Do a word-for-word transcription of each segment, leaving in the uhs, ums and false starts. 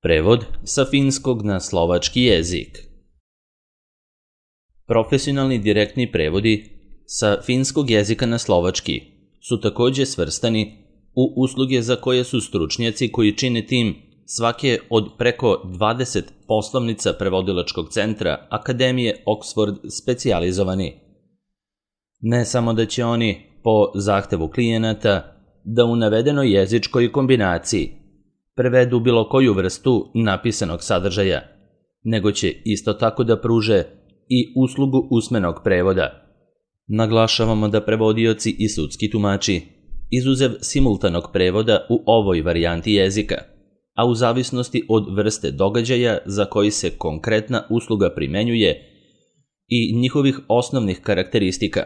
Prevod sa finskog na slovački jezik. Profesionalni direktni prevodi sa finskog jezika na slovački su također svrstani u usluge za koje su stručnjaci koji čine tim svake od preko dvadeset poslovnica prevodilačkog centra Akademije Oxford specijalizovani. Ne samo da će oni, po zahtevu klijenata, da u navedenoj jezičkoj kombinaciji prevedu bilo koju vrstu napisanog sadržaja, nego će isto tako da pruže i uslugu usmenog prevoda. Naglašavamo da prevodioci i sudski tumači, izuzev simultanog prevoda u ovoj varijanti jezika, a u zavisnosti od vrste događaja za koji se konkretna usluga primenjuje i njihovih osnovnih karakteristika,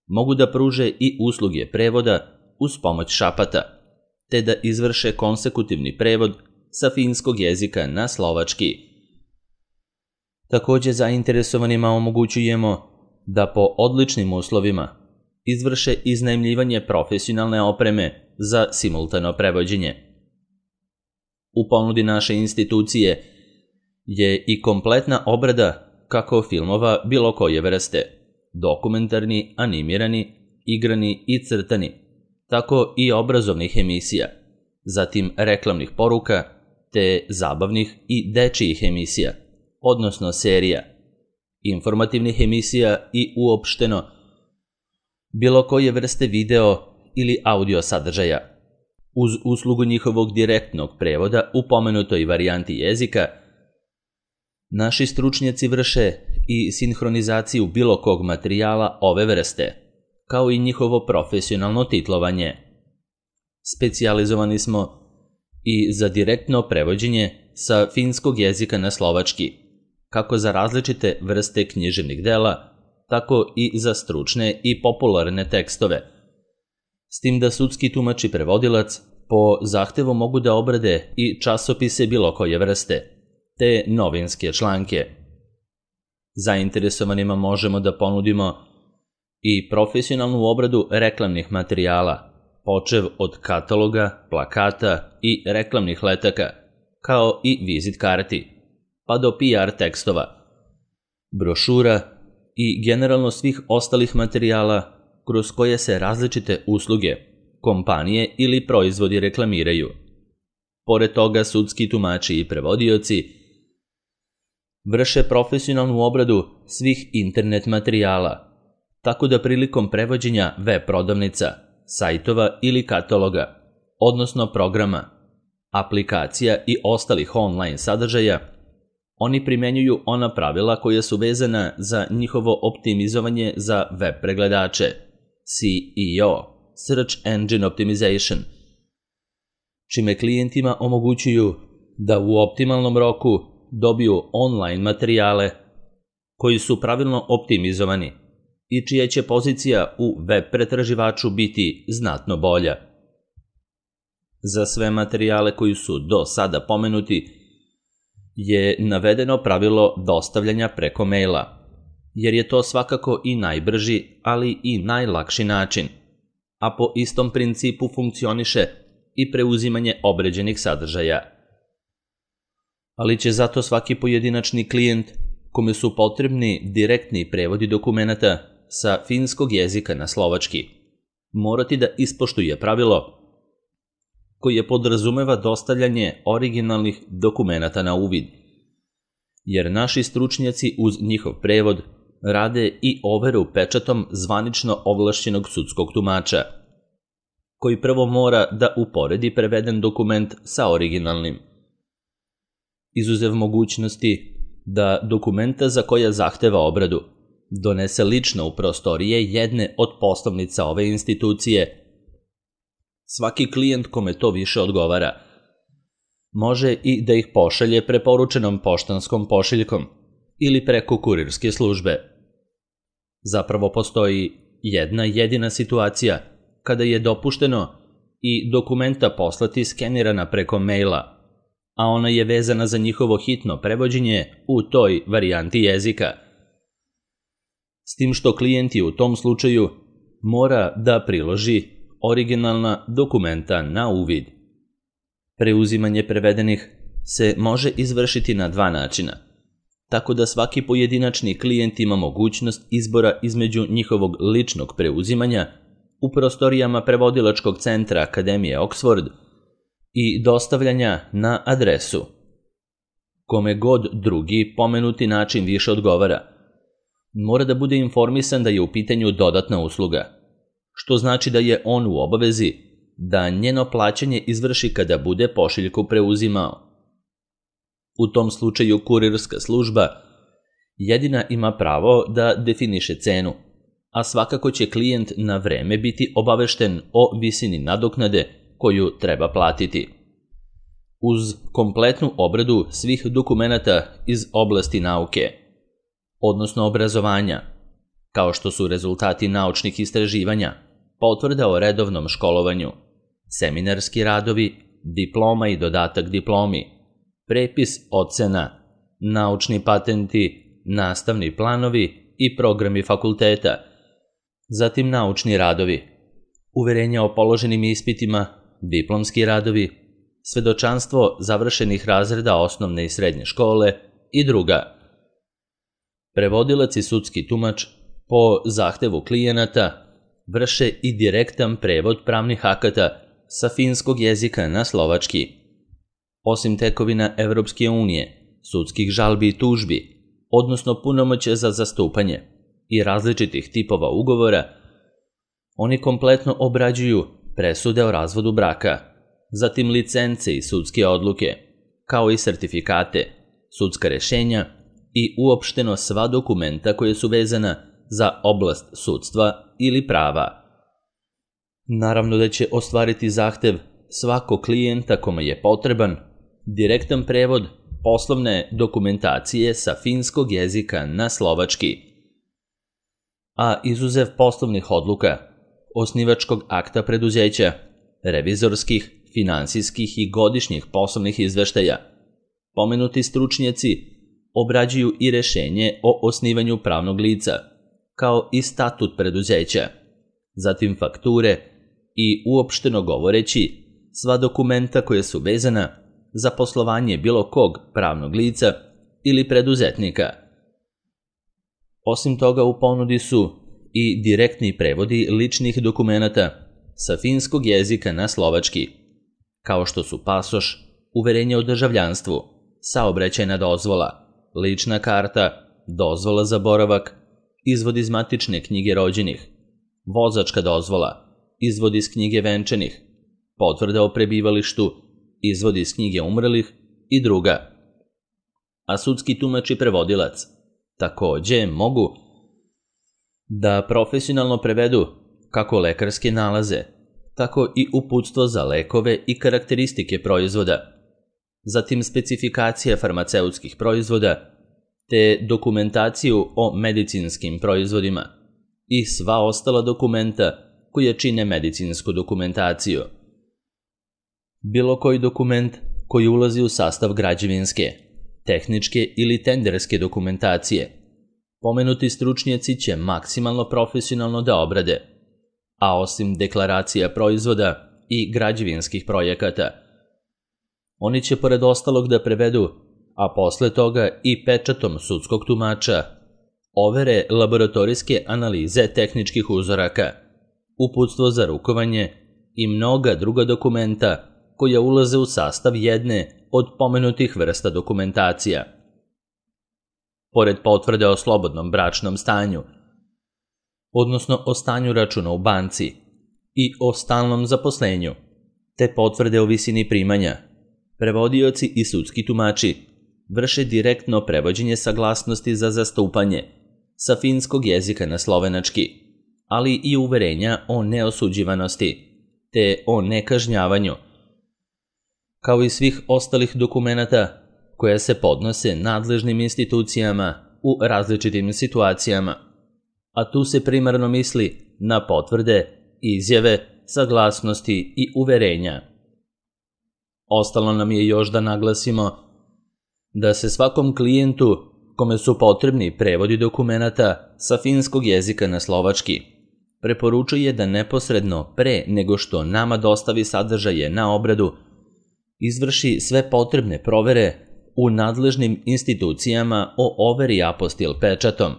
mogu da pruže i usluge prevoda uz pomoć šapata, te da izvrše konsekutivni prevod sa finskog jezika na slovački. Također zainteresovanima omogućujemo da po odličnim uslovima izvrše iznajmljivanje profesionalne opreme za simultano prevođenje. U ponudi naše institucije je i kompletna obrada kako filmova bilo koje vrste, dokumentarni, animirani, igrani i crtani, tako i obrazovnih emisija, zatim reklamnih poruka, te zabavnih i dečijih emisija, odnosno serija, informativnih emisija i uopšteno bilo koje vrste video ili audio sadržaja. Uz uslugu njihovog direktnog prevoda u pomenutoj varijanti jezika, naši stručnjaci vrše i sinhronizaciju bilo kog materijala ove vrste, kao i njihovo profesionalno titlovanje. Specijalizovani smo i za direktno prevođenje sa finskog jezika na slovački, kako za različite vrste književnih dela, tako i za stručne i popularne tekstove. S tim da sudski tumač i prevodilac po zahtevu mogu da obrade i časopise bilo koje vrste, te novinske članke. Zainteresovanima možemo da ponudimo i profesionalnu obradu reklamnih materijala, počev od kataloga, plakata i reklamnih letaka, kao i vizit karti, pa do P R tekstova, brošura i generalno svih ostalih materijala kroz koje se različite usluge, kompanije ili proizvodi reklamiraju. Pored toga, sudski tumači i prevodioci vrše profesionalnu obradu svih internet materijala, tako da prilikom prevođenja web prodavnica, sajtova ili kataloga, odnosno programa, aplikacija i ostalih online sadržaja, oni primenjuju ona pravila koja su vezana za njihovo optimizovanje za web pregledače, S E O, Search Engine Optimization, čime klijentima omogućuju da u optimalnom roku dobiju online materijale koji su pravilno optimizovani i čija će pozicija u web pretraživaču biti znatno bolja. Za sve materijale koji su do sada pomenuti je navedeno pravilo dostavljanja preko maila, jer je to svakako i najbrži, ali i najlakši način, a po istom principu funkcioniše i preuzimanje obređenih sadržaja. Ali će zato svaki pojedinačni klijent kome su potrebni direktni prevodi dokumenata sa finskog jezika na slovački morati da ispoštuje pravilo koje podrazumeva dostavljanje originalnih dokumenata na uvid, jer naši stručnjaci uz njihov prevod rade i overu pečatom zvanično ovlašćenog sudskog tumača, koji prvo mora da uporedi preveden dokument sa originalnim. Izuzev mogućnosti da dokumenta za koja zahteva obradu donese lično u prostorije jedne od poslovnica ove institucije, svaki klijent kome to više odgovara može i da ih pošalje preporučenom poštanskom pošiljkom ili preko kurirske službe. Zapravo postoji jedna jedina situacija kada je dopušteno i dokumenta poslati skenirana preko maila, a ona je vezana za njihovo hitno prevođenje u toj varijanti jezika. S tim što klijenti u tom slučaju mora da priloži originalna dokumenta na uvid. Preuzimanje prevedenih se može izvršiti na dva načina, tako da svaki pojedinačni klijent ima mogućnost izbora između njihovog ličnog preuzimanja u prostorijama prevodilačkog centra Akademije Oxford i dostavljanja na adresu. Kome god drugi pomenuti način više odgovara, mora da bude informisan da je u pitanju dodatna usluga, što znači da je on u obavezi da njeno plaćanje izvrši kada bude pošiljku preuzimao. U tom slučaju kurirska služba jedina ima pravo da definiše cenu, a svakako će klijent na vreme biti obavešten o visini nadoknade koju treba platiti. Uz kompletnu obradu svih dokumenata iz oblasti nauke, odnosno obrazovanja, kao što su rezultati naučnih istraživanja, potvrda o redovnom školovanju, seminarski radovi, diploma i dodatak diplomi, prepis ocena, naučni patenti, nastavni planovi i programi fakulteta, zatim naučni radovi, uverenja o položenim ispitima, diplomski radovi, svedočanstvo završenih razreda osnovne i srednje škole i druga. Prevodilac i sudski tumač po zahtevu klijenata vrše i direktan prevod pravnih akata sa finskog jezika na slovački. Osim tekovina Evropske unije, sudskih žalbi i tužbi, odnosno punomoćja za zastupanje i različitih tipova ugovora, oni kompletno obrađuju presude o razvodu braka, zatim licence i sudske odluke, kao i sertifikate, sudska rešenja i uopšteno sva dokumenta koje su vezana za oblast sudstva ili prava. Naravno da će ostvariti zahtev svakog klijenta kome je potreban direktan prevod poslovne dokumentacije sa finskog jezika na slovački, a izuzev poslovnih odluka, osnivačkog akta preduzeća, revizorskih, finansijskih i godišnjih poslovnih izveštaja, pomenuti stručnjaci obrađuju i rešenje o osnivanju pravnog lica, kao i statut preduzeća, zatim fakture i uopšteno govoreći sva dokumenta koje su vezana za poslovanje bilo kog pravnog lica ili preduzetnika. Osim toga u ponudi su i direktni prevodi ličnih dokumenata sa finskog jezika na slovački, kao što su pasoš, uverenje o državljanstvu, saobraćajna dozvola, lična karta, dozvola za boravak, izvod iz matične knjige rođenih, vozačka dozvola, izvod iz knjige venčanih, potvrda o prebivalištu, izvod iz knjige umrlih i druga. A sudski tumač i prevodilac takođe mogu da profesionalno prevedu kako lekarske nalaze, tako i uputstvo za lekove i karakteristike proizvoda, zatim specifikacija farmaceutskih proizvoda, te dokumentaciju o medicinskim proizvodima i sva ostala dokumenta koja čine medicinsku dokumentaciju. Bilo koji dokument koji ulazi u sastav građevinske, tehničke ili tenderske dokumentacije, pomenuti stručnjaci će maksimalno profesionalno da obrade, a osim deklaracija proizvoda i građevinskih projekata, oni će pored ostalog da prevedu, a posle toga i pečatom sudskog tumača, overe laboratorijske analize tehničkih uzoraka, uputstvo za rukovanje i mnoga druga dokumenta koja ulaze u sastav jedne od pomenutih vrsta dokumentacija. Pored potvrde o slobodnom bračnom stanju, odnosno o stanju računa u banci i o stalnom zaposlenju, te potvrde o visini primanja, prevodioci i sudski tumači vrše direktno prevođenje saglasnosti za zastupanje sa finskog jezika na slovenački, ali i uverenja o neosuđivanosti, te o nekažnjavanju, kao i svih ostalih dokumenata koja se podnose nadležnim institucijama u različitim situacijama, a tu se primarno misli na potvrde, izjave, saglasnosti i uverenja. Ostalo nam je još da naglasimo da se svakom klijentu kome su potrebni prevodi dokumenata sa finskog jezika na slovački preporučuje da neposredno pre nego što nama dostavi sadržaje na obradu izvrši sve potrebne provere u nadležnim institucijama o overi apostil pečatom.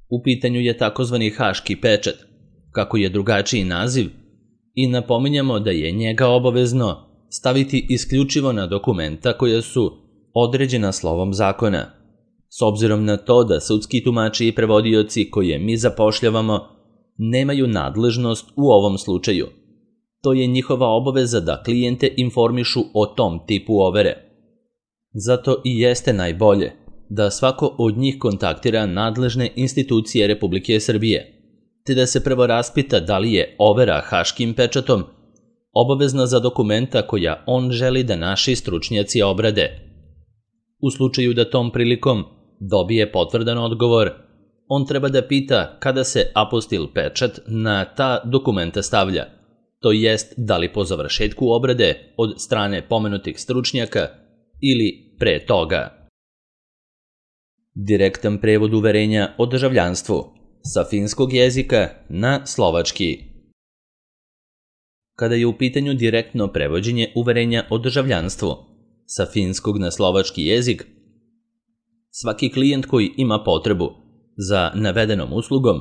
U pitanju je takozvani haški pečat, kako je drugačiji naziv, i napominjamo da je njega obavezno staviti isključivo na dokumenta koja su određena slovom zakona. S obzirom na to da sudski tumači i prevodioci koje mi zapošljavamo nemaju nadležnost u ovom slučaju. To je njihova obaveza da klijente informišu o tom tipu overe. Zato i jeste najbolje da svako od njih kontaktira nadležne institucije Republike Srbije, te da se prvo raspita da li je overa haškim pečatom obavezna za dokumenta koja on želi da naši stručnjaci obrade. U slučaju da tom prilikom dobije potvrdan odgovor, on treba da pita kada se apostil pečat na ta dokumenta stavlja, to jest da li po završetku obrade od strane pomenutih stručnjaka ili pre toga. Direktan prevod uverenja o državljanstvu sa finskog jezika na slovački. Kada je u pitanju direktno prevođenje uverenja o državljanstvu sa finskog na slovački jezik, svaki klijent koji ima potrebu za navedenom uslugom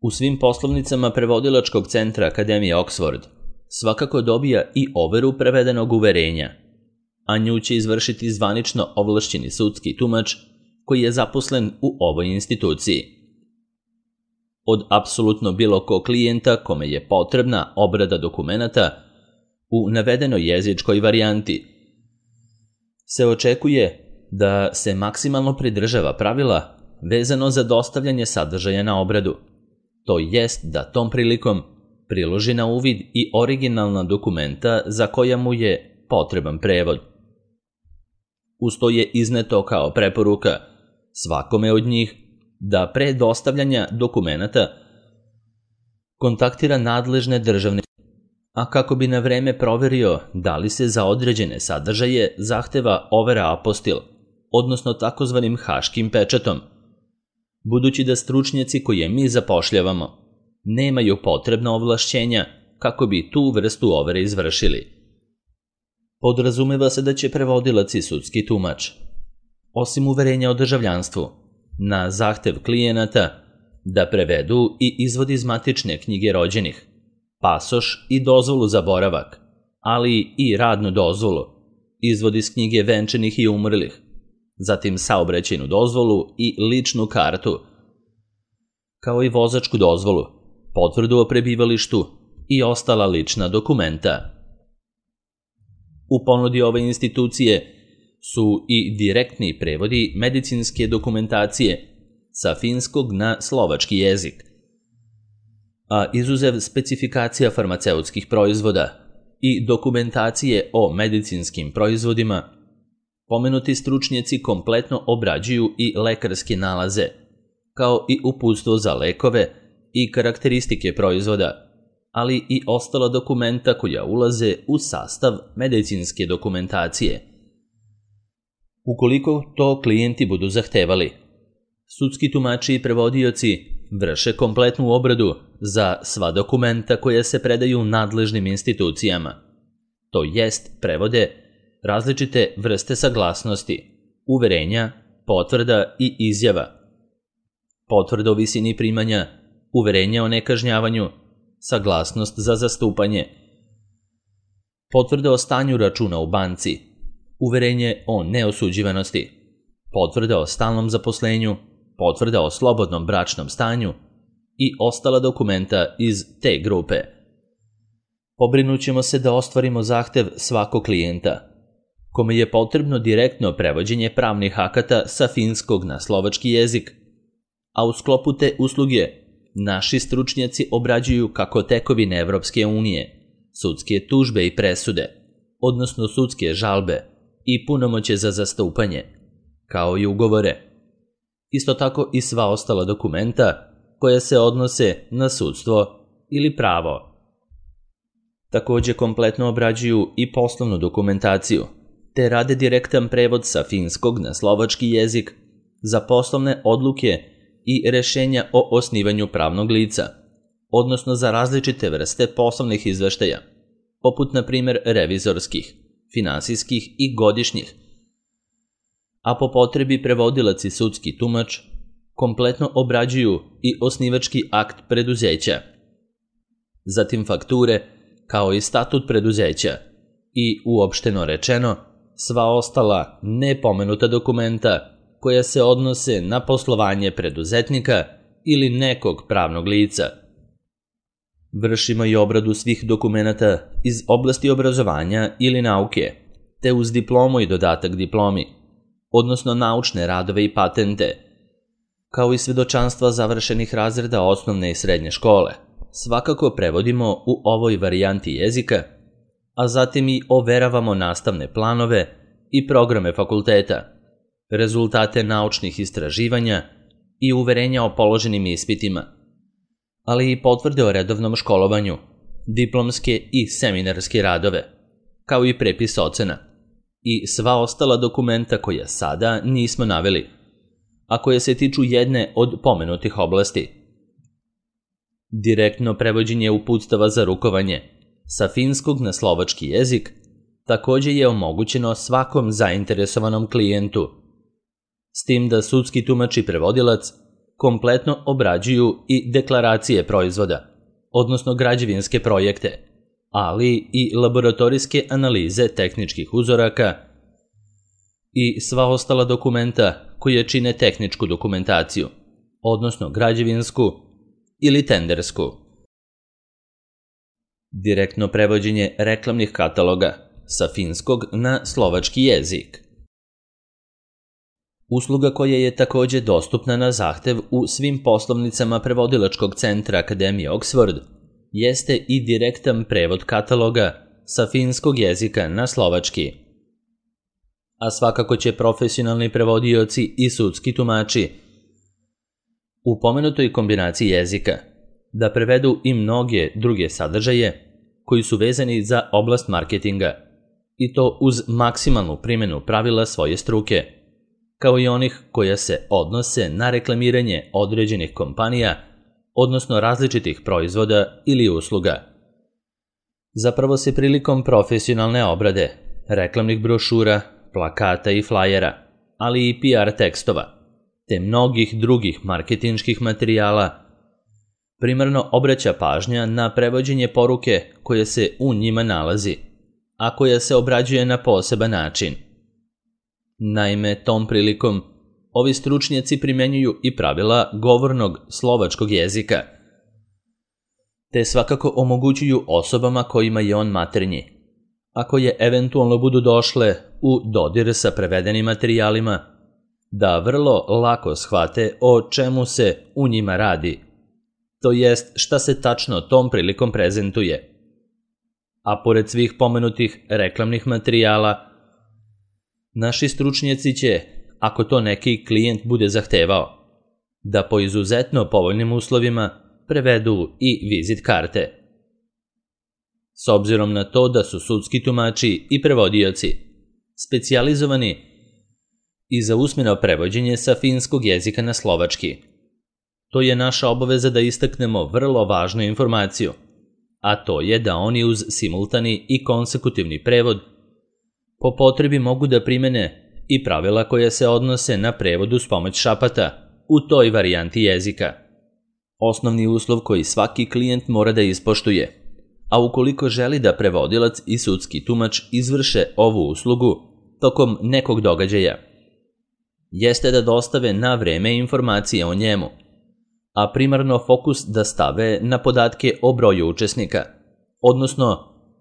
u svim poslovnicama prevodilačkog centra Akademije Oxford svakako dobija i overu prevedenog uverenja, a nju će izvršiti zvanično ovlašćeni sudski tumač koji je zaposlen u ovoj instituciji. Od apsolutno bilo kog klijenta kome je potrebna obrada dokumenata u navedenoj jezičkoj varijanti se očekuje da se maksimalno pridržava pravila vezano za dostavljanje sadržaja na obradu, to jest da tom prilikom priloži na uvid i originalna dokumenta za koja mu je potreban prevod. Uz to je izneto kao preporuka svakome od njih da pre dostavljanja dokumenata kontaktira nadležne državne, a kako bi na vreme proverio da li se za određene sadržaje zahteva overa apostil, odnosno takozvanim haškim pečatom, budući da stručnjaci koje mi zapošljavamo nemaju potrebna ovlašćenja kako bi tu vrstu overe izvršili. Podrazumeva se da će prevodilac i sudski tumač, osim uverenja o državljanstvu, na zahtev klijenata da prevedu i izvod iz matične knjige rođenih, pasoš i dozvolu za boravak, ali i radnu dozvolu, izvod iz knjige venčanih i umrlih, zatim saobraćajnu dozvolu i ličnu kartu, kao i vozačku dozvolu, potvrdu o prebivalištu i ostala lična dokumenta. U ponudi ove institucije su i direktni prevodi medicinske dokumentacije sa finskog na slovački jezik, a izuzev specifikacija farmaceutskih proizvoda i dokumentacije o medicinskim proizvodima, pomenuti stručnjaci kompletno obrađuju i lekarske nalaze, kao i uputstvo za lekove i karakteristike proizvoda, ali i ostala dokumenta koja ulaze u sastav medicinske dokumentacije. Ukoliko to klijenti budu zahtevali, sudski tumači i prevodioci vrše kompletnu obradu za sva dokumenta koja se predaju nadležnim institucijama, to jest prevode različite vrste saglasnosti, uverenja, potvrda i izjava, potvrda o visini primanja, uverenja o nekažnjavanju, saglasnost za zastupanje, potvrda o stanju računa u banci, uverenje o neosuđivanosti, potvrda o stalnom zaposlenju, potvrda o slobodnom bračnom stanju i ostala dokumenta iz te grupe. Pobrinut ćemo se da ostvarimo zahtev svakog klijenta, kome je potrebno direktno prevođenje pravnih akata sa finskog na slovački jezik, a u sklopu te usluge naši stručnjaci obrađuju kako tekovine Evropske unije, sudske tužbe i presude, odnosno sudske žalbe i punomoće za zastupanje, kao i ugovore. Isto tako i sva ostala dokumenta koja se odnose na sudstvo ili pravo. Takođe kompletno obrađuju i poslovnu dokumentaciju, te rade direktan prevod sa finskog na slovački jezik za poslovne odluke i rešenja o osnivanju pravnog lica, odnosno za različite vrste poslovnih izveštaja, poput na primjer revizorskih, finansijskih i godišnjih, a po potrebi prevodilac i sudski tumač kompletno obrađuju i osnivački akt preduzeća, zatim fakture kao i statut preduzeća i, uopšteno rečeno, sva ostala nepomenuta dokumenta koja se odnose na poslovanje preduzetnika ili nekog pravnog lica. Vršimo i obradu svih dokumenata iz oblasti obrazovanja ili nauke, te uz diplomu i dodatak diplomi, odnosno naučne radove i patente, kao i svedočanstva završenih razreda osnovne i srednje škole, svakako prevodimo u ovoj varijanti jezika, a zatim i overavamo nastavne planove i programe fakulteta, rezultate naučnih istraživanja i uverenja o položenim ispitima, ali i potvrde o redovnom školovanju, diplomske i seminarske radove, kao i prepis ocena i sva ostala dokumenta koja sada nismo naveli, a koje se tiču jedne od pomenutih oblasti. Direktno prevođenje uputstava za rukovanje sa finskog na slovački jezik također je omogućeno svakom zainteresovanom klijentu, s tim da sudski tumač i prevodilac kompletno obrađuju i deklaracije proizvoda, odnosno građevinske projekte, ali i laboratorijske analize tehničkih uzoraka i sva ostala dokumenta koje čine tehničku dokumentaciju, odnosno građevinsku ili tendersku. Direktno prevođenje reklamnih kataloga sa finskog na slovački jezik. Usluga koja je također dostupna na zahtev u svim poslovnicama prevodilačkog centra Akademije Oxford jeste i direktan prevod kataloga sa finskog jezika na slovački. A svakako će profesionalni prevodioci i sudski tumači u pomenutoj kombinaciji jezika da prevedu i mnoge druge sadržaje koji su vezani za oblast marketinga, i to uz maksimalnu primjenu pravila svoje struke, kao i onih koja se odnose na reklamiranje određenih kompanija, odnosno različitih proizvoda ili usluga. Zapravo se prilikom profesionalne obrade, reklamnih brošura, plakata i flajera, ali i P R tekstova, te mnogih drugih marketinških materijala, primarno obraća pažnja na prevođenje poruke koja se u njima nalazi, a koja se obrađuje na poseban način. Naime, tom prilikom ovi stručnjaci primjenjuju i pravila govornog slovačkog jezika, te svakako omogućuju osobama kojima je on maternji, a koje eventualno budu došle u dodir sa prevedenim materijalima, da vrlo lako shvate o čemu se u njima radi, to jest šta se tačno tom prilikom prezentuje. A pored svih pomenutih reklamnih materijala, naši stručnjaci će, ako to neki klijent bude zahtevao, da po izuzetno povoljnim uslovima prevedu i vizit karte. S obzirom na to da su sudski tumači i prevodioci specijalizovani i za usmeno prevođenje sa finskog jezika na slovački, to je naša obaveza da istaknemo vrlo važnu informaciju, a to je da oni uz simultani i konsekutivni prevod po potrebi mogu da primene i pravila koje se odnose na prevodu s pomoć šapata u toj varijanti jezika. Osnovni uslov koji svaki klijent mora da ispoštuje, a ukoliko želi da prevodilac i sudski tumač izvrše ovu uslugu tokom nekog događaja, jeste da dostave na vreme informacije o njemu, a primarno fokus da stave na podatke o broju učesnika, odnosno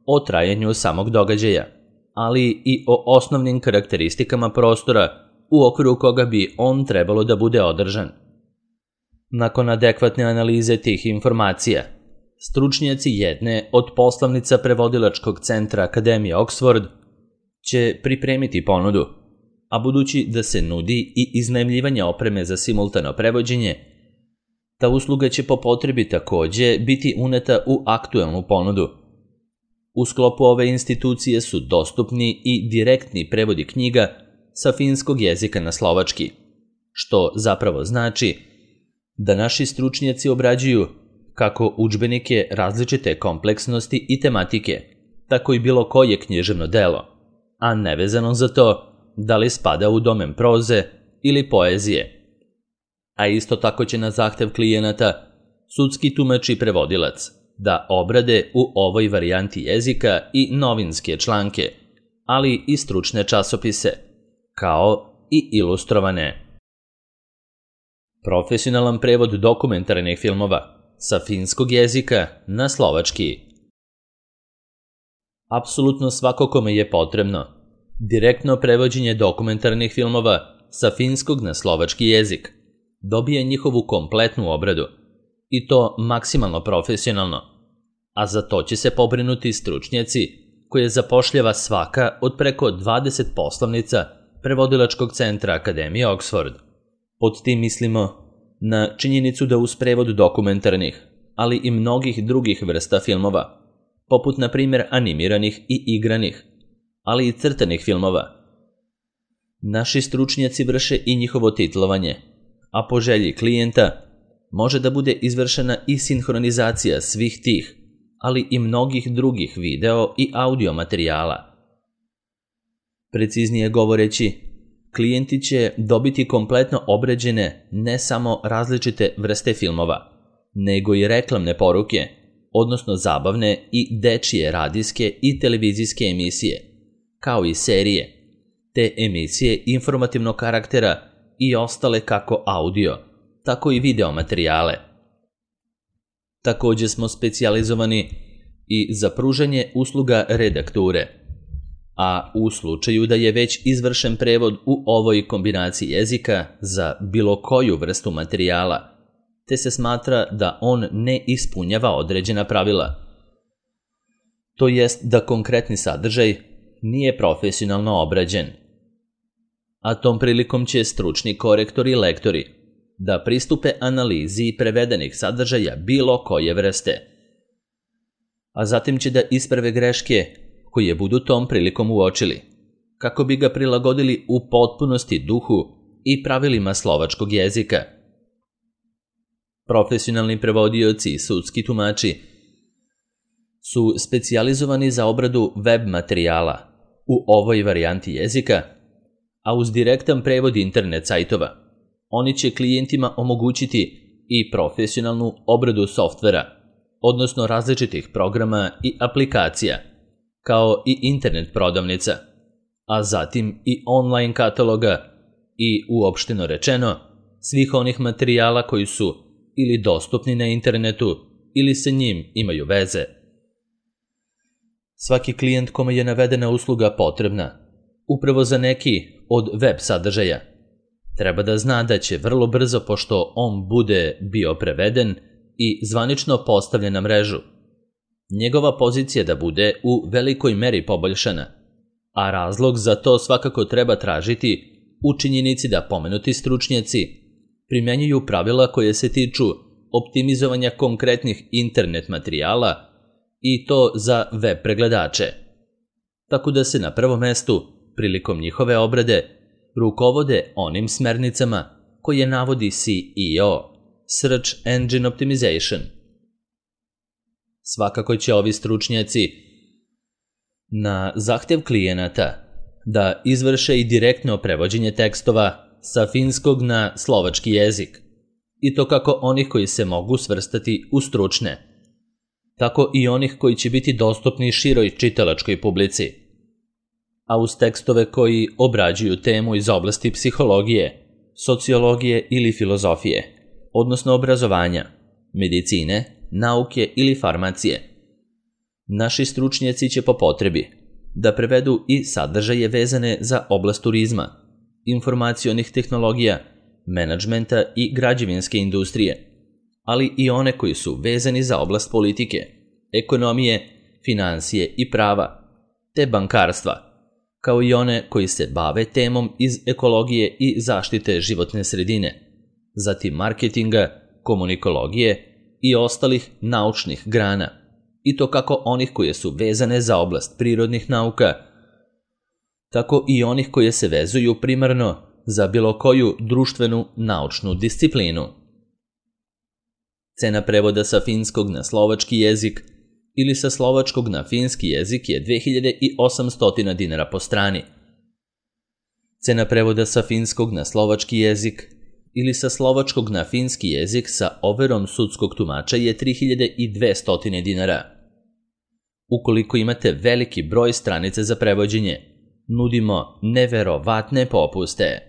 o trajanju samog događaja, ali i o osnovnim karakteristikama prostora u okviru koga bi on trebalo da bude održan. Nakon adekvatne analize tih informacija, stručnjaci jedne od poslovnica prevodilačkog centra Akademije Oxford će pripremiti ponudu, a budući da se nudi i iznajmljivanje opreme za simultano prevođenje, ta usluga će po potrebi također biti uneta u aktuelnu ponudu. U sklopu ove institucije su dostupni i direktni prevodi knjiga sa finskog jezika na slovački, što zapravo znači da naši stručnjaci obrađuju kako udžbenike različite kompleksnosti i tematike, tako i bilo koje književno delo, a nevezano za to da li spada u domen proze ili poezije. A isto tako će na zahtev klijenata sudski tumač i prevodilac da obrade u ovoj varijanti jezika i novinske članke, ali i stručne časopise, kao i ilustrovane. Profesionalan prevod dokumentarnih filmova sa finskog jezika na slovački. Apsolutno svako kome je potrebno direktno prevođenje dokumentarnih filmova sa finskog na slovački jezik dobije njihovu kompletnu obradu, i to maksimalno profesionalno, a za to će se pobrinuti stručnjaci koje zapošljava svaka od preko dvadeset poslovnica prevodilačkog centra Akademije Oxford. Pod tim mislimo na činjenicu da uz prevod dokumentarnih, ali i mnogih drugih vrsta filmova, poput na primjer animiranih i igranih, ali i crtanih filmova, naši stručnjaci vrše i njihovo titlovanje, a po želji klijenta može da bude izvršena i sinhronizacija svih tih, ali i mnogih drugih video i audio materijala. Preciznije govoreći, klijenti će dobiti kompletno obrađene ne samo različite vrste filmova, nego i reklamne poruke, odnosno zabavne i dečije radijske i televizijske emisije, kao i serije, te emisije informativnog karaktera i ostale kako audio, tako i video materijale. Također smo specijalizovani i za pružanje usluga redakture, a u slučaju da je već izvršen prevod u ovoj kombinaciji jezika za bilo koju vrstu materijala, te se smatra da on ne ispunjava određena pravila, to jest da konkretni sadržaj nije profesionalno obrađen. A tom prilikom će stručni korektori i lektori da pristupe analizi prevedenih sadržaja bilo koje vrste, a zatim će da isprave greške koje budu tom prilikom uočili, kako bi ga prilagodili u potpunosti duhu i pravilima slovačkog jezika. Profesionalni prevodioci i sudski tumači su specijalizovani za obradu web materijala u ovoj varijanti jezika, a uz direktan prevod internet sajtova oni će klijentima omogućiti i profesionalnu obradu softvera, odnosno različitih programa i aplikacija, kao i internet prodavnica, a zatim i online kataloga i, uopšteno rečeno, svih onih materijala koji su ili dostupni na internetu ili sa njim imaju veze. Svaki klijent kome je navedena usluga potrebna, upravo za neki od web sadržaja, treba da zna da će vrlo brzo, pošto on bude bio preveden i zvanično postavljen na mrežu, njegova pozicija da bude u velikoj meri poboljšana, a razlog za to svakako treba tražiti u činjenici da pomenuti stručnjaci primenjuju pravila koje se tiču optimizovanja konkretnih internet materijala i to za web pregledače, tako da se na prvom mestu, prilikom njihove obrade, rukovode onim smernicama koje navodi C E O, Search Engine Optimization. Svakako će ovi stručnjaci na zahtev klijenata da izvrše i direktno prevođenje tekstova sa finskog na slovački jezik, i to kako onih koji se mogu svrstati u stručne, tako i onih koji će biti dostupni široj čitalačkoj publici, a uz tekstove koji obrađuju temu iz oblasti psihologije, sociologije ili filozofije, odnosno obrazovanja, medicine, nauke ili farmacije. Naši stručnjaci će po potrebi da prevedu i sadržaje vezane za oblast turizma, informacionih tehnologija, menadžmenta i građevinske industrije, ali i one koji su vezani za oblast politike, ekonomije, finansije i prava, te bankarstva, kao i one koji se bave temom iz ekologije i zaštite životne sredine, zatim marketinga, komunikologije i ostalih naučnih grana, i to kako onih koje su vezane za oblast prirodnih nauka, tako i onih koje se vezuju primarno za bilo koju društvenu naučnu disciplinu. Cena prevoda sa finskog na slovački jezik ili sa slovačkog na finski jezik je dve hiljade osamsto dinara po strani. Cena prevoda sa finskog na slovački jezik ili sa slovačkog na finski jezik sa overom sudskog tumača je tri hiljade dvesta dinara. Ukoliko imate veliki broj stranica za prevođenje, nudimo neverovatne popuste.